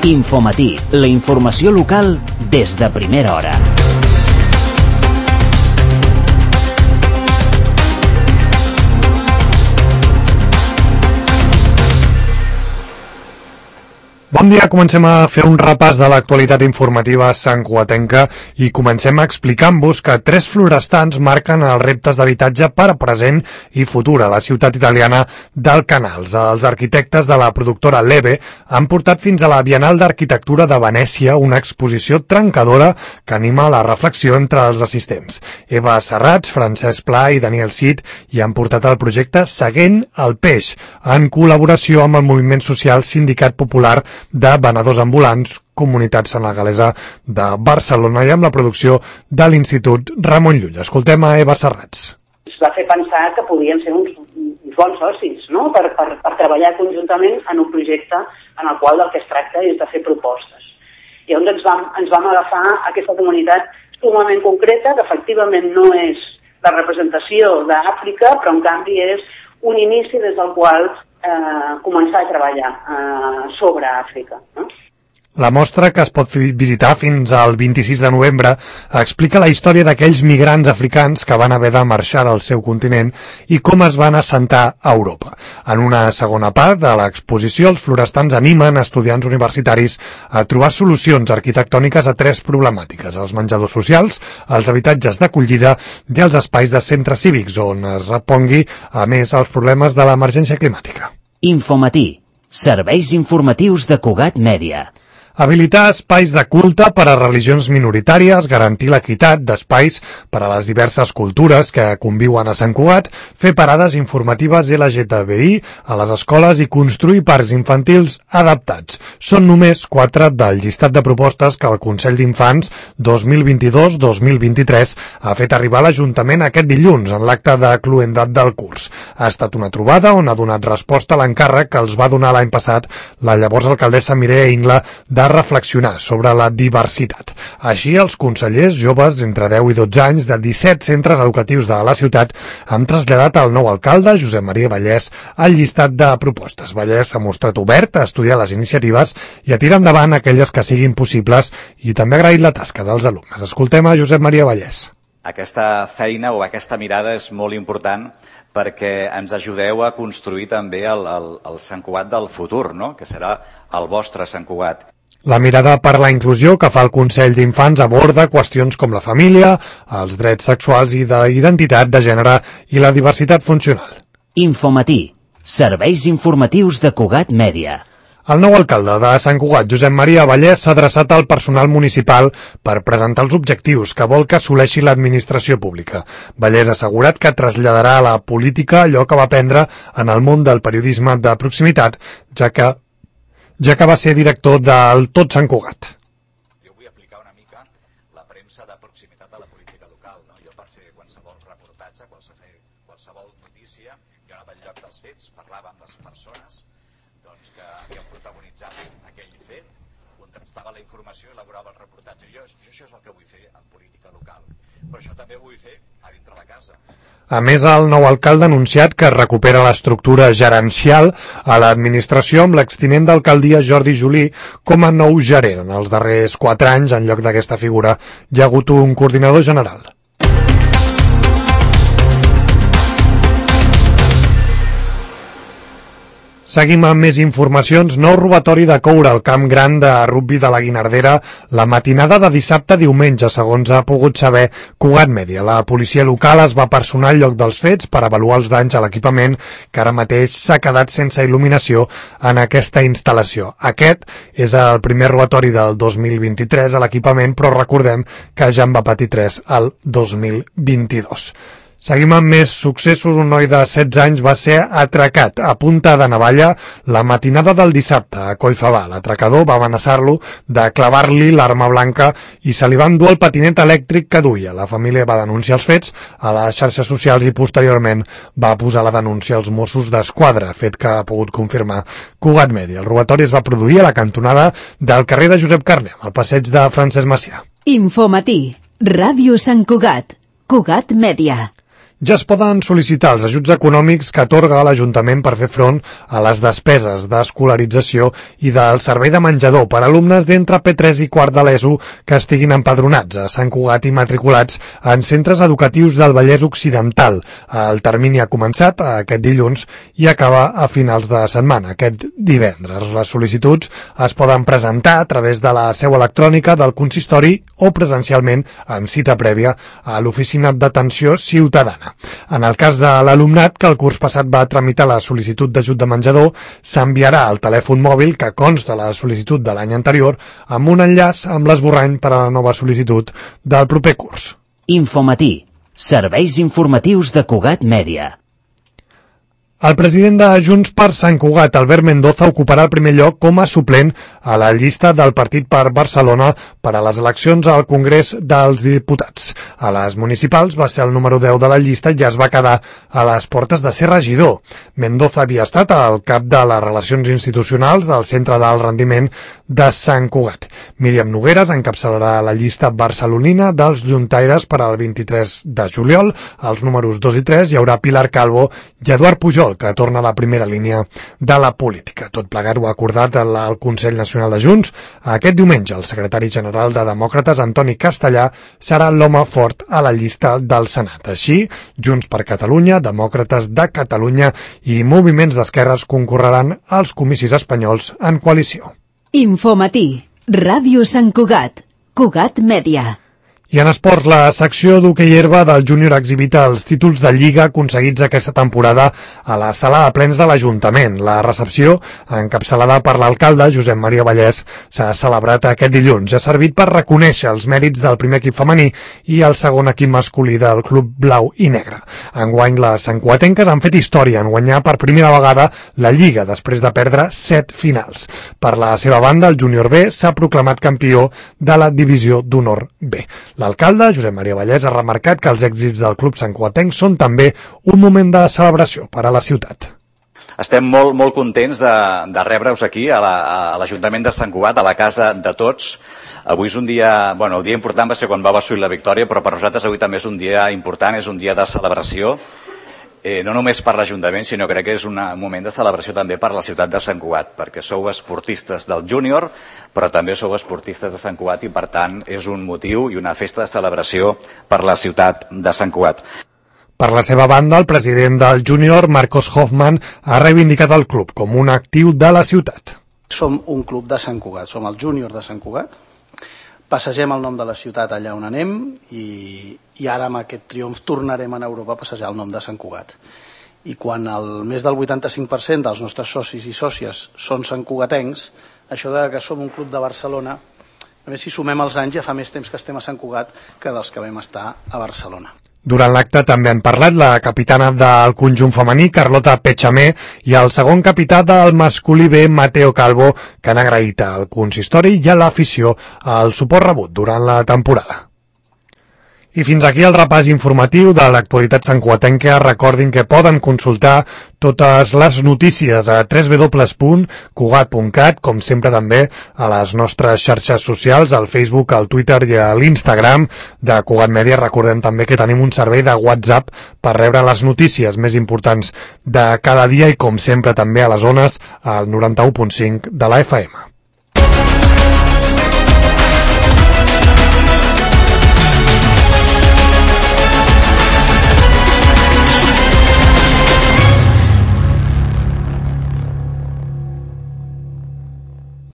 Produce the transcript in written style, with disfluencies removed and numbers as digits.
Infomatí, la informació local des de primera hora. Bon dia, comencem a fer un repàs de l'actualitat informativa santcugatenca i comencem explicant-vos que 3 florestans marquen els reptes d'habitatge per a present i futur a la ciutat italiana d'Alcanals. Els arquitectes de la productora Leve han portat fins a la Bienal d'Arquitectura de Venècia una exposició trencadora que anima la reflexió entre els assistents. Eva Serrats, Francesc Pla i Daniel Cid hi han portat el projecte Seguint el Peix, en col·laboració amb el moviment social Sindicat Popular de Venedors Ambulants, Comunitat Senegalesa de Barcelona, i amb la producció de l'Institut Ramon Llull. Escoltem a Eva Serrats. Es va fer pensar que podien ser uns bons socis, no? per treballar conjuntament en un projecte en el qual del que es tracta és de fer propostes. I llavors ens vam agafar aquesta comunitat sumament concreta, que efectivament no és la representació d'Àfrica, però en canvi és un inici des del qual començar a treballar sobre Àfrica, no? La mostra, que es pot visitar fins al 26 de novembre, explica la història d'aquells migrants africans que van haver de marxar del seu continent i com es van assentar a Europa. En una segona part de l'exposició, els florestans animen estudiants universitaris a trobar solucions arquitectòniques a 3 problemàtiques: els menjadors socials, els habitatges d'acollida i els espais de centres cívics, on es repongui, a més, els problemes de l'emergència climàtica. Infomatí, serveis informatius de Cugat Mèdia. Habilitar espais de culte per a religions minoritàries, garantir l'equitat d'espais per a les diverses cultures que conviuen a Sant Cugat, fer parades informatives LGTBI a les escoles i construir parcs infantils adaptats. Són només 4 del llistat de propostes que el Consell d'Infants 2022-2023 ha fet arribar a l'Ajuntament aquest dilluns en l'acte de cloendat del curs. Ha estat una trobada on ha donat resposta a l'encàrrec que els va donar l'any passat la llavors alcaldessa Mireia Ingla de reflexionar sobre la diversitat. Així, els consellers joves entre 10 i 12 anys de 17 centres educatius de la ciutat han traslladat al nou alcalde, Josep Maria Vallès, el llistat de propostes. Vallès s'ha mostrat obert a estudiar les iniciatives i a tirar endavant aquelles que siguin possibles, i també ha agraït la tasca dels alumnes. Escoltem a Josep Maria Vallès. Aquesta feina o aquesta mirada és molt important perquè ens ajudeu a construir també el Sant Cugat del futur, no? Que serà el vostre Sant Cugat. La mirada per la inclusió que fa el Consell d'Infants aborda qüestions com la família, els drets sexuals i d'identitat de gènere i la diversitat funcional. Infomatí, serveis informatius de Cugat Mèdia. El nou alcalde de Sant Cugat, Josep Maria Vallès, s'ha adreçat al personal municipal per presentar els objectius que vol que assoleixi l'administració pública. Vallès ha assegurat que traslladarà a la política allò que va aprendre en el món del periodisme de proximitat, ja que va ser director del Tot Sant Cugat. Jo vull aplicar una mica la premsa de proximitat de la política local, no? Jo per fer qualsevol reportatge, qualsevol notícia, jo anava al lloc dels fets, parlava amb les persones doncs, que havien protagonitzat aquell fet, contrastava la informació i elaborava el reportatge. Jo això és el que vull fer en política local, però això també ho vull fer a dintre de casa. A més, el nou alcalde ha anunciat que recupera l'estructura gerencial a l'administració amb l'extinent d'alcaldia Jordi Julí com a nou gerent. En els darrers 4 anys, en lloc d'aquesta figura, hi ha hagut un coordinador general. Seguim amb més informacions. Nou robatori de coure al camp gran de rugbi de la Guinardera la matinada de dissabte a diumenge, segons ha pogut saber Cugat Mèdia. La policia local es va personar al lloc dels fets per avaluar els danys a l'equipament, que ara mateix s'ha quedat sense il·luminació en aquesta instal·lació. Aquest és el primer robatori del 2023 a l'equipament, però recordem que ja en va patir 3 al 2022. Seguim amb més successos. Un noi de 16 anys va ser atracat a punta de navalla la matinada del dissabte a Collfabà. L'atracador va amenaçar-lo de clavar-li l'arma blanca i se li va endur el patinet elèctric que duia. La família va denunciar els fets a les xarxes socials i posteriorment va posar la denúncia als Mossos d'Esquadra, fet que ha pogut confirmar Cugat Mèdia. El robatori es va produir a la cantonada del carrer de Josep Carner, al passeig de Francesc Macià. Infomatí, Ràdio Sant Cugat, Cugat Mèdia. Ja es poden sol·licitar els ajuts econòmics que atorga l'Ajuntament per fer front a les despeses d'escolarització i del servei de menjador per a alumnes d'entre P3 i quart de l'ESO que estiguin empadronats a Sant Cugat i matriculats en centres educatius del Vallès Occidental. El termini ha començat aquest dilluns i acaba a finals de setmana, aquest divendres. Les sol·licituds es poden presentar a través de la seu electrònica del consistori o presencialment amb cita prèvia a l'Oficina d'Atenció Ciutadana. En el cas de l'alumnat que el curs passat va tramitar la sol·licitud d'ajut de menjador, s'enviarà al telèfon mòbil que consta la sol·licitud de l'any anterior amb un enllaç amb l'esborrany per a la nova sol·licitud del proper curs. Infomatí. Serveis informatius de Cugat Mèdia. El president de Junts per Sant Cugat, Albert Mendoza, ocuparà el primer lloc com a suplent a la llista del Partit per Barcelona per a les eleccions al Congrés dels Diputats. A les municipals va ser el número 10 de la llista i es va quedar a les portes de ser regidor. Mendoza havia estat al cap de les relacions institucionals del Centre d'Alt Rendiment de Sant Cugat. Míriam Nogueras encapçalarà la llista barcelonina dels Lluntaires per al 23 de juliol. Als números 2 i 3 hi haurà Pilar Calvo i Eduard Pujol, que torna a la primera línia de la política. Tot plegat ho ha acordat el Consell Nacional de Junts. Aquest diumenge el secretari general de Demòcrates, Antoni Castellà, serà l'home fort a la llista del Senat. Així, Junts per Catalunya, Demòcrates de Catalunya i moviments d'esquerres concorreran als comicis espanyols en coalició. Infomatí. Ràdio Sant Cugat. Cugat Mèdia. I en esports, la secció d'hoquei herba del júnior exhibita els títols de Lliga aconseguits aquesta temporada a la sala de plens de l'Ajuntament. La recepció, encapçalada per l'alcalde, Josep Maria Vallès, s'ha celebrat aquest dilluns. Ha servit per reconèixer els mèrits del primer equip femení i el segon equip masculí del Club Blau i Negre. Enguany, les santcugatenques han fet història en guanyar per primera vegada la Lliga, després de perdre 7 finals. Per la seva banda, el júnior B s'ha proclamat campió de la divisió d'honor B. L'alcalde, Josep Maria Vallès, ha remarcat que els èxits del club santcugatenc són també un moment de celebració per a la ciutat. Estem molt contents de rebre-us aquí a l'Ajuntament de Sant Cugat, a la casa de tots. Avui és un dia, el dia important va ser quan va assolir la victòria, però per nosaltres avui també és un dia important, és un dia de celebració, no només per l'Ajuntament, sinó crec que és un moment de celebració també per la ciutat de Sant Cugat, perquè sou esportistes del júnior, però també sou esportistes de Sant Cugat i, per tant, és un motiu i una festa de celebració per la ciutat de Sant Cugat. Per la seva banda, el president del júnior, Marcos Hoffman, ha reivindicat el club com un actiu de la ciutat. Som un club de Sant Cugat, som el júnior de Sant Cugat. Passegem el nom de la ciutat allà on anem i ara amb aquest triomf tornarem a Europa a passejar el nom de Sant Cugat. I quan més del 85% dels nostres socis i sòcies són santcugatencs, això de que som un club de Barcelona, a més si sumem els anys ja fa més temps que estem a Sant Cugat que dels que vam estar a Barcelona. Durant l'acte també han parlat la capitana del conjunt femení, Carlota Pechamé, i el segon capità del masculí B, Mateo Calvo, que han agraït al consistori i a l'afició el suport rebut durant la temporada. I fins aquí el repàs informatiu de l'actualitat santcugatenca. Recordin que poden consultar totes les notícies a www.cugat.cat, com sempre també a les nostres xarxes socials, al Facebook, al Twitter i a l'Instagram de Cugat Mèdia. Recordem també que tenim un servei de WhatsApp per rebre les notícies més importants de cada dia i, com sempre, també a les ones al 91.5 de la FM.